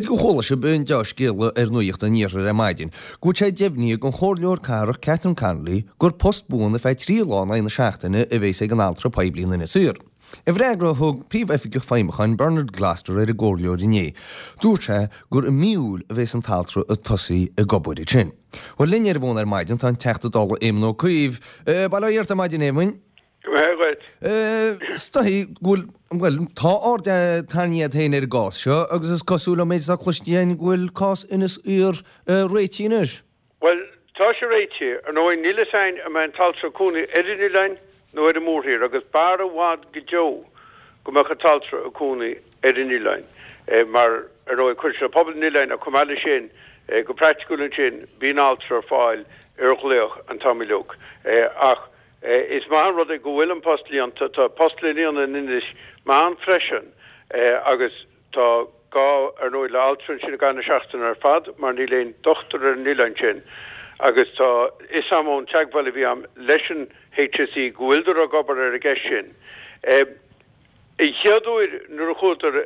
B'fhéidir gur chuala sibh an deá-scéala ar Nuacht an Iarthair ar maidin, go bhfuil sé deimhnithe ag an Chomhairleoir Cathrach Catherine Connolly gur post buan ar feadh 3 lá in aghaidh na seachtaine a bheas ag an altra poiblí in Inis Oírr. I bhfreagra a thug Príomhoifigeach Feidhmiúcháin Bernard Gloster ar an gComhairleoir inné, dúirt sé gur i mí Iúil a bheas an t-altra ag tosaí ag obair ansin. Bhuel, linn ar an bhfón ar maidin tá an Teachta Dála Éamon Ó Cuív. Bail ó Dhia ort ar maidin, Éamoin. Go maith dhuit. Is dóigh go bhfuil, bhuel, tá aird tarraingthe agat féin ar an gcás seo agus is cosúil ón méid atá cloiste againn go bhfuil cás Inis Oírr réitithe anois. Bhuel, tá sé réitithe. Ar ndóigh, níl fhios a'inn an mbeidh an t-altra ag cónaí ar an oileán nó ar an mórthír agus b'fhearr i bhfad go deo go mbeadh an t-altra ag cónaí ar an oileán mar, ar ndóigh, cuireann sé le pobal an oileáin ach chomh maith leis sin, go praiticiúil ansin, bíonn altra ar fáil ar ghlaoch an t-am uilig. Ach Is maith an rud é go bhfuil an post líonta. Tá post le líonadh in Inis Meáin freisin agus tá gá, ar ndóigh, le altra ansin i gcaitheamh na seachtaine ar fad mar níl aon dochtúir ar an oileán sin agus tá fhios a'm ón teagmháil a bhí a'm leis an HSE go bhfuileadar ag obair ar an gceist sin. An chéad uair nuair a chuadar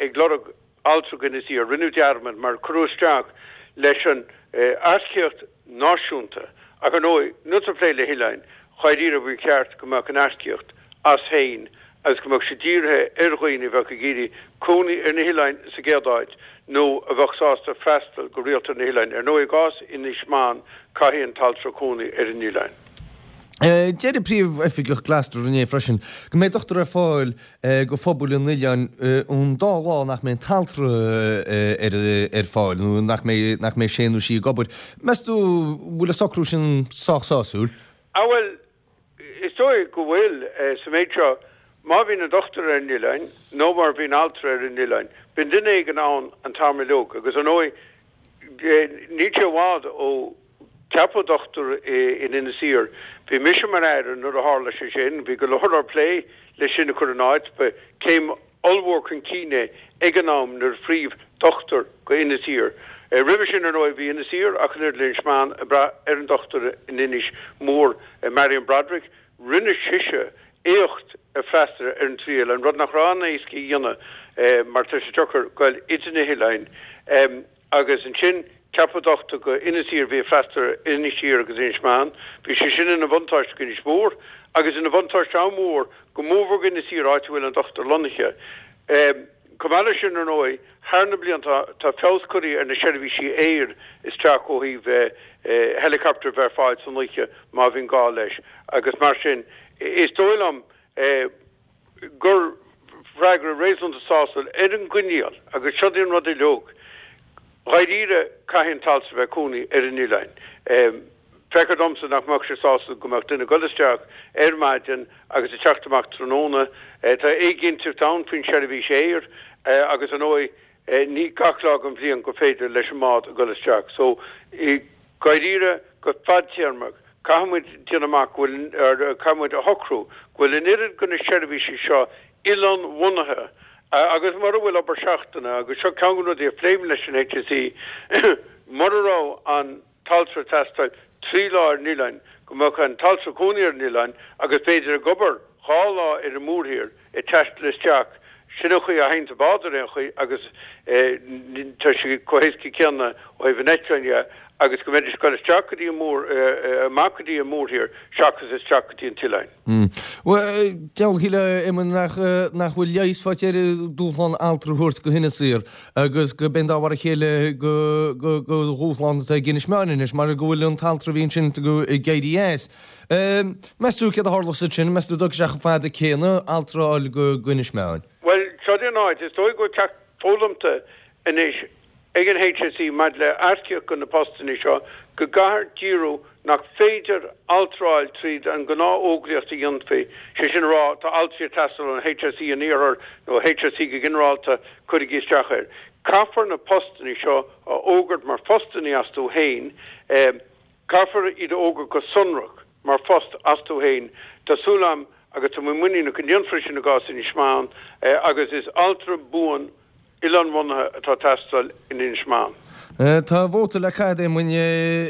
ag lorg altra go Inis Oírr, rinneadh dearmad mar cuireadh isteach leis an earcaíocht náisiúnta ach ar ndóigh nuair atá tú ag plé le hoileáin, dháiríre ba cheart go mbeadh an earcaíocht as féin agus go mbeadh sé dírithe ar dhaoine a bheadh ag iarraidh cónaí ar na hoileáin sa gcéad áit nó a bheadh sásta freastal go rialta ar na hoileáin. Ar ndóigh i gcás Inis Meáin caithfidh an t-altra cónaí ar an oileán. Deir an Príomhoifigeach Gloster inné freisin go mbeidh dochtúir ar fáil go phobal an oileáin an dá lá nach mbeidh an t-altra ar fáil nó nach mbeidh nach mbeidh sé nó sí ag obair. Meas tú an bhfuil an socrú sin sách sásúil? Ah bhuel, is dóigh go bhfuil, sa méid seo, má bhíonn an dochtúir ar an oileán nó má bhíonn altra ar an oileán, bíonn duine éigin ann an t-am uilig agus ar ndóigh níl sé i bhfad ó Ceapadh dochtúir in Inis Oírr. Bhí mise mar Aire nuair a tharla sé sin. Bhí go leor leor plé le sin a chur in áit. Ba céim ollmhór chun cinn é ag an am nuair a faomhadh dochtúir go Inis Oírr. Roimhe sin, ar ndóigh, bhí Inis Oírr ach an oiread le Inis Meáin ag brath ar an dochtúir in Inis Mór, Marion Broderick. Rinne sise éacht ag freastal ar an trí oileán, rud nach raibh an-éasca a dhéanamh mar tá sé deacair goil idir na hoileáin. Agus ansin ceapadh dochtúir go Inis Oírr a bhí ag freastal ar Inis Oírr agus Inis Meáin. Bhí sé sin ina bhuntáiste go Inis Mór agus ina bhuntáiste an-mhór go mórmhór go Inis Oírr áit a bhfuil an dochtúir lonnaithe. Chomh maith leis sin ar ndóigh, thar na blianta tá feabhas curtha ar na seirbhísí aeir isteach ó thaobh helicopter a bheith ar fáil san oíche má bhíonn gá leis agus mar sin is dóigh liom gur freagra réasúnta sásúil ar an gcoinníoll, agus seo í an rud uilig, dháiríre, caithfidh an t-altra bheith ag cónaí ar an oileán. Feictear domsa nach mbeadh sé sásúil go mbeadh duine ag dul isteach ar maidin agus ag teacht amach tráthnóna. Tá éiginnteacht ann faoin seirbhís aeir agus ar ndóigh ní gach lá den bhliain gur féidir leis an mbád a dhul isteach. So, dháiríre, go fadtéarmach, caithfidh muid déanamh amach go bhfuil, caithfidh muid a shocrú go bhfuil an oiread de na seirbhísí seo oileánbhunaithe agus mura bhfuil obair seachtaine, agus seo ceann de na rudaí a phléim leis an HSE, mura raibh an t-altra ag teastáil 3 lá ar an oileán, go mbeadh an t-altra ag cónaí ar an oileán agus b'fhéidir ag obair 2 lá ar an mórthír ag taisteal isteach. Sin an chaoi a théann an bád ar aon chaoi agus tá sé chomh héasca céanna ó thaobh an eitleáin dhe agus go mbeidís ag dul isteach go dtí an mór, amach go dtí an mórthír seachas isteach go dtí an t-oileán. Bhuel, deabhal a shílfeá, Éamonn, nach nach bhfuil leigheas faighte ar an dúshlán altra a thabhairt go hInis Oírr agus go b'in dá mhar a chéile go go go dhúshlán atá ag Inis Meáin anois mar go bhfuil an t-altra a bhí ansin ag éirí as. Meas tú céard a tharlós ansin? Meas tú an dtógfaidh sé chomh fada céanna altra a fháil go Inis Meáin? Bhuel, seo í an áit, is dóigh go bhfuil ceacht foghlamtha anois ag an HSE maidir le earcaíocht do na postanna seo, go gcaithfear díriú nach féidir altra a fháil tríd an ngnáth-fhógraíocht a dhéanfaí, sé sin a rá, tá altraí ag teastáil ón HSE in iarthar nó HSE go ginearálta, cuirigí isteach air. Caithfear na postanna seo a fhógairt mar phostanna astu féin. Caithfear iad a fhógairt go sonrach mar phost astu féin. Tá súil agam agus tá mé muiníneach go ndéanfar é sin i gcás Inis Meáin agus is altra buan oileánbhunaithe atá ag teastáil in Inis Meáin. Tá vóta le caitheamh Éamoinn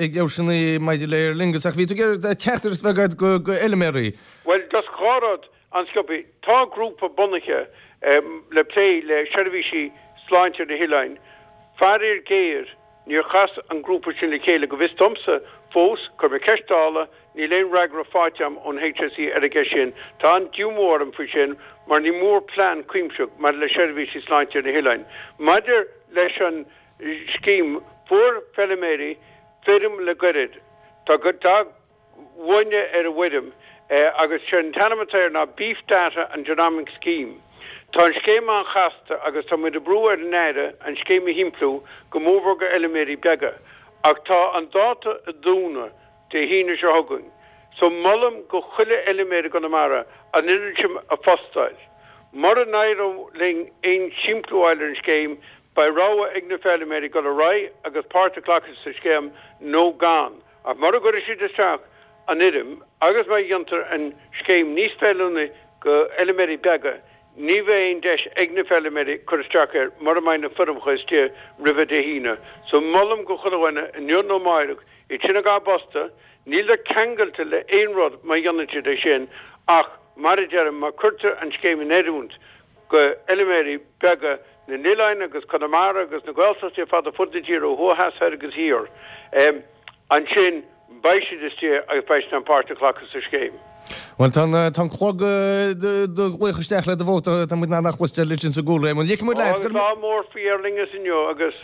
ag Leabharsanna maidir le Aer Lingus ach bhí tú ag iarraidh teachtaireacht a bheith agat go fheilméaraí. Bhuel, just dhá rud an-sciobtha. Tá grúpa bunaithe le plé le seirbhísí sláinte ar na hoileáin. Faraor géar, níor chas an grúpa sin le chéile, go bhfios domsa, fós. Chuir mé ceist dála, níl aon fhreagra faighte agam ón HSE ar an gceist sin. Tá an-díomá orm faoi sin mar ní mór plean cuimsitheach maidir le seirbhísí sláinte ar na hoileáin. Maidir leis an scéim, fuair feilméaraí foirm le gairid. Tá dath uaine ar an bhfoirm agus sé an t-ainm atá air ná Beef Data and Genomic Scheme. Tá an scéim an-chasta agus tá muid ag brú ar an Aire an scéim a shimpliú, go mórmhór go fheilméaraí beaga. Ach tá an dáta ag dúnadh Dé hAoine seo chugainn so molaim go chuile fheilméara i gConamara an fhoirm sin a phostáil. Mura n-éireoidh linn aon simpliú a fháil ar an scéim, beidh rogha ag na feilméaraí dul ar aghaidh agus páirt a ghlacadh sa scéim nó gan. Ach mura gcuirfidh siad isteach an fhoirm agus má dhéantar an scéim níos feiliúnaí go fheilméaraí beaga, ní bheidh aon deis ag na feilméaraí cur isteach air mura mbeidh na foirmeacha istigh roimhe Dé hAoine. So molaim go chuile dhuine, inniu nó amáireach, iad sin a bposta, níltear ceangailte le aon rud má dhéanann siad é sin ach mar a deirim, má cuirtear an scéim in oiriúint go fheilméaraí beaga na n-oileáin agus Conamara agus na Gaeltachtaí ar fad ar fud na tíre, ó thuaidh, theas, thoir agus thiar, ansin beidh siad istigh agus beidh siad in ann páirt a ghlacadh sa scéim. Bhuel, tá an, tá an clog do ghlaoch isteach le do vóta, tá muid in ann a chloisteáil ansin sa gcúlra, Éamonn. Ligfidh muid leat gur. Lá mór faoi Aer Lingus inniu agus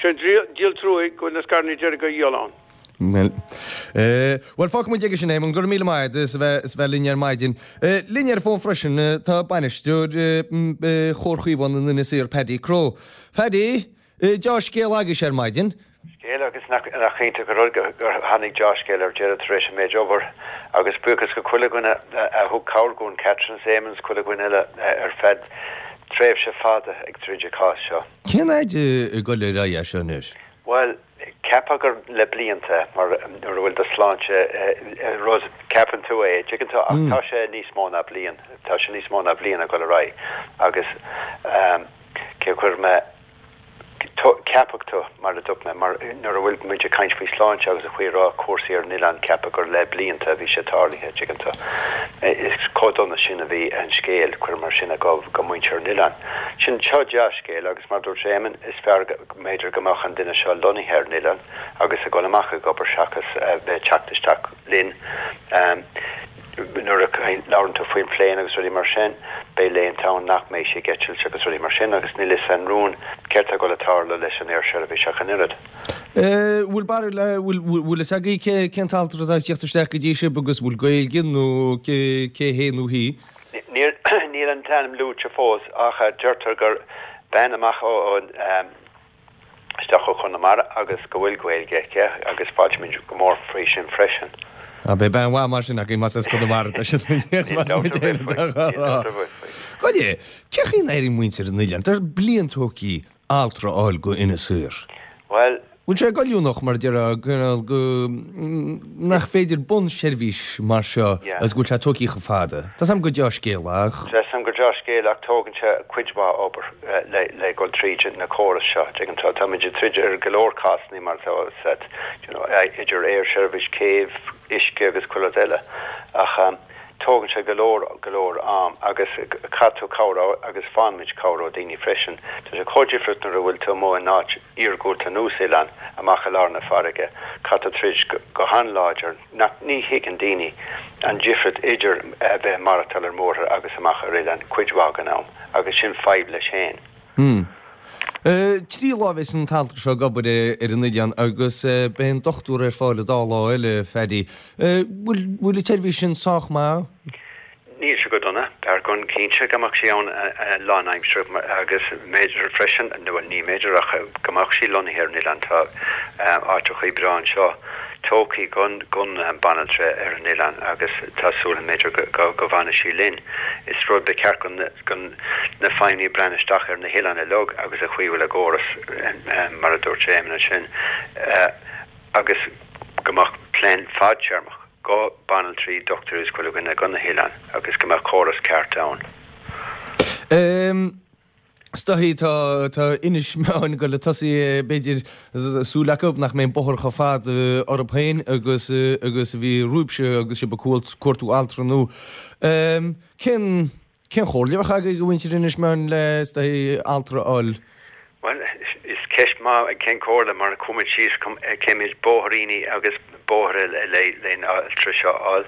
sé an díol truaighe go bhfuil na scaireanna deiridh á dhíol ann. Bhuel, bhuel, fágfaidh muid aige sin, Éamonn. Go raibh míle maith agat as a bheith, as a bheith linn ar maidin. Linn ar an bhfón freisin tá bainisteoir Chomhar Chaomhán in Inis Oírr, Paddy Crowe. Paddy, deá-scéal agaibhse ar maidin. Scéal agus nach iontach an rud gur tháinig deá-scéal ar deireadh tar éis an méid obair. Agus buíochas go chuile dhuine a thug cabhair dhúinn, Catherine is Éamonn is chuile dhuine eile ar feadh tréimhse fada ag troid an cás seo. Cén fhaid ag dul ar aghaidh é seo anois? Bhuel, cheapfá gur le blianta, mar nuair a bhfuil do shláinte rud, ceapann tú é, tuigeann tú, ach tá sé níos mó ná bliain, tá sé níos mó ná bliain ag dul ar aghaidh agus cé chuir mé, ceapfadh tú, mar a dúirt mé, mar nuair a bhfuil muid ag caint faoi shláinte agus an chaoi a raibh cúrsaí ar an oileán, ceapadh gur le blianta a bhí sé tarlaithe, tuigeann tú. Is chomh dona sin a bhí an scéal, cuir mar sin, go, go muintir an oileáin. Sin, seo dea-scéal agus mar a dúirt Éamonn, is fearr go. mb'fhéidir go mbeadh an duine seo lonnaithe ar an oileán agus ag dul amach ag obair seachas a bheith ag teacht isteach linn. Nuair a labhrann tú faoin pléin agus rudaí mar sin, beidh laethanta ann nach mbeidh sí ag eitilt agus rudaí mar sin agus níl fhios a'inn rún céard tá ag dul a tarlú leis an aersheirbhís ach an oiread. Bhfuil barúil, bhfuil fhios agaibh cé, cén t-altra atá ag tíocht isteach go dtí sibh agus bhfuil Gaeilge nó cé, cé hé nó hí? Níl, níl an t-ainm luaite fós ach deirtear gur bean amach ó, isteach ó Chonamara agus go bhfuil Gaeilge aici agus fáiltímid go mór faoi sin freisin. Ah, beidh bean mhaith mar sin againn más as Conamara atá siad ag tíocht, más muid féin atá á rá. Gabh i leith, cén chaoi a n-éiríonn muintir an oileáin? Tá bliain tógtha altra a fháil go Inis Oírr. Bhuel. Bhfuil sé goilliúnach, mar a déarfá, cineál go, nach féidir bunseirbhís mar seo agus go bhfuil sé tógtha chomh fada? Tá 's a'm gur deá-scéal ach. Tá 's a'm gur deá-scéal ach tógann sé cuid mhaith obair le le dhul tríd na córais seo, tuigeann tú. Táimid ag troid ar go leor cásanna mar atá said, you know, idir aersheirbhís, céibh, uisce agus chuile rud eile ach tógann sé go leor, go leor am agus caithfidh tú cabhair agus faigheann muid cabhair ó daoine freisin. Tá sé chomh difriúil nuair a bhfuil tú amuigh in áit iargúlta ar nós oileán amach i lár na farraige, caithfidh tú troid go han-láidir, nach, ní thuigeann daoine an difriúil idir a bheith ag maireachtáil ar mórthir agus amach ar oileán cuid mhaith den am, agus sin fadhb leis féin. Hmm. 3 lá a bheas an t-altra seo ag obair ar an oileán agus beidh an dochtúir ar fáil an dá lá eile, Phaddy. Bhfuil, bhfuil an tseirbhís sin sách maith? Níl sé go dona. B'fhearr dhúinn cinnte go mbeadh sí ann lánaimseartha agus mb'fhéidir freisin, bhuel ní mb'fhéidir ach go mbeadh sí lonnaithe ar an oileán. Tá áiteachaí breá anseo tógtha don banaltra ar an oileán agus tá súil agam mb'fhéidir go bhfanfaidh sí linn. Is rud ba cheart do na feidhmeannaigh breathnú isteach ar na hoileáin uilig agus an chaoi a bhfuil a gcóras mar a dúirt Éamonn ansin agus go mbeadh plean fadtéarmach. go banaltraí, dochtúirí is chuile dhuine go na hoileáin agus go mbeadh córas ceart ann. Is dóichí tá tá Inis Meáin ag dul ag tosaí b'fhéidir súil acu nach mbeidh an bóthar chomh fada orthu féin agus agus a bhí romhaibhse agus sibh ag cuartú altra nua. Cén cén chomhairle a bheadh agaibh do mhuintir Inis Meáin le is dóichí altra a fháil? Bhuel, is ceist maith cén comhairle mar chuaigh muid síos céimid bóithríní agus bóithre le'n altra seo a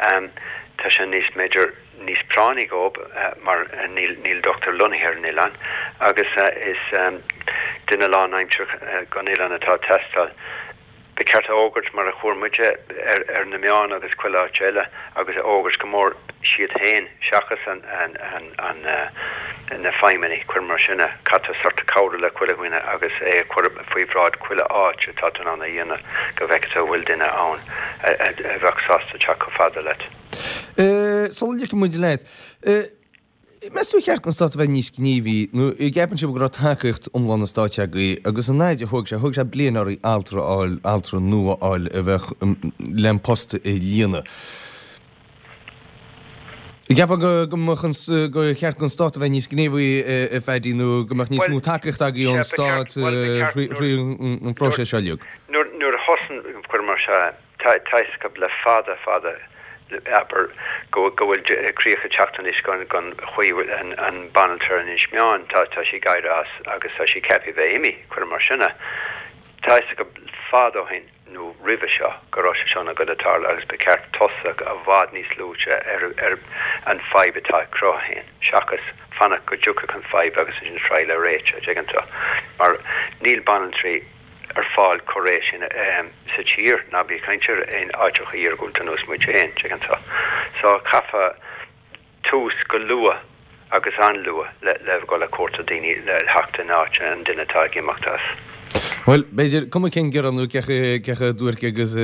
fháil. Tá sé níos b'fhéidir níos práinní dhób mar níl níl dochtúir lonnaithe ar an oileán agus is duine lánaimseartha gon oileán atá ag teastáil. Ba cheart a fhógairt mar a fuair muide ar na meáin agus chuile áit eile agus a fhógairt go mór siad féin seachas an na feidhmeannaigh, cuir mar sin é, caithfidh tú sort cabhrú le chuile dhuine agus é a chur faoi bhráid chuile áit atá tú in ann a dhéanamh go bhfeicfidh tú an bhfuil duine ann a bheadh sásta teacht chomh fada leat. Sula ligfidh muid leat, Meas tú ar cheart don Stát a bheith níos gníomhaí nó an gceapann sibh go raibh tacaíocht iomlán an Stáit agaibh agus an fhaid a thóg sé, thóg sé bliain oraibh altra a fháil, altra nua a fháil a bheadh le an post a líonadh. An gceapfá go go mbeadh an, gur cheart don Stát a bheith níos gníomhaí a Phaddy nó go mbeadh níos mó tacaíocht agaibh ón Stát thrí an phróiseas seo uilig? Nuair a thosaigh, cuir mar seo é, Tá a fhios acu le fada fada, abair, go bhfuil críoch ag teacht anois gon chaoi a bhfuil an banaltra ar Inis Meáin, tá sí ag éirí as agus tá sí ceaptha a bheith imithe, cuir mar sin é. Tá a fhios acu fada ó shin, nó roimhe seo, go raibh sé seo ag goil a tarlú agus ba cheart tosach i bhfad níos luaite ar an fadhb atá ag cruthú féin, seachas fanacht go dtiocfadh an fadhb agus ansin triail a réiteach, an dtuigeann tú. Mar níl banaltraí. ar fáil chomh réidh sin sa tír, ná bí ag caint ar aon áiteacha iargúlta ar nós muid féin, tuigeann tú. So chaithfeá tús go luath agus an-luath le le dhul ag cuartú daoine le theacht in áit an duine atá ag imeacht as. Bhuel, b'fhéidir, cuma cén gearán nó cé chomh duairc agus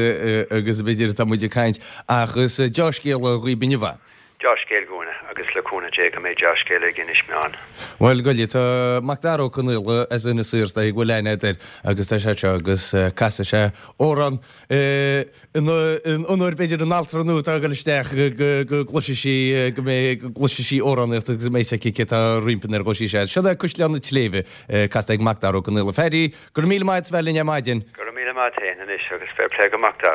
agus b'fhéidir atá muid ag caint, ach is deá-scéala dhaoib inniu é. Dea-scéal dhúinne, agus le cúnamh Dé go mbeidh dea-scéal ag Inis Meáin. Bhuel, go tá Macdara Ó Conaola as Inis Oírr, is dóigh go bhfuil aithne agat air, agus tá sé anseo agus casfaidh sé amhrán in onóir b'fhéidir an altra nua atá ag dul isteach go gcloisfidh sí, go mbeidh, go gcloisfidh sí amhránaíocht agus go mbeidh a fhios aici cé atá roimpi nuair a dhúisíonn sí. Seo é Caisleán an tSléibhe, casta ag Macdara Ó Conaola. Phaddy, go raibh míle maith agat as bheith linn ar maidin. Go raibh míle maith agat féin anois agus fair play go Macdara.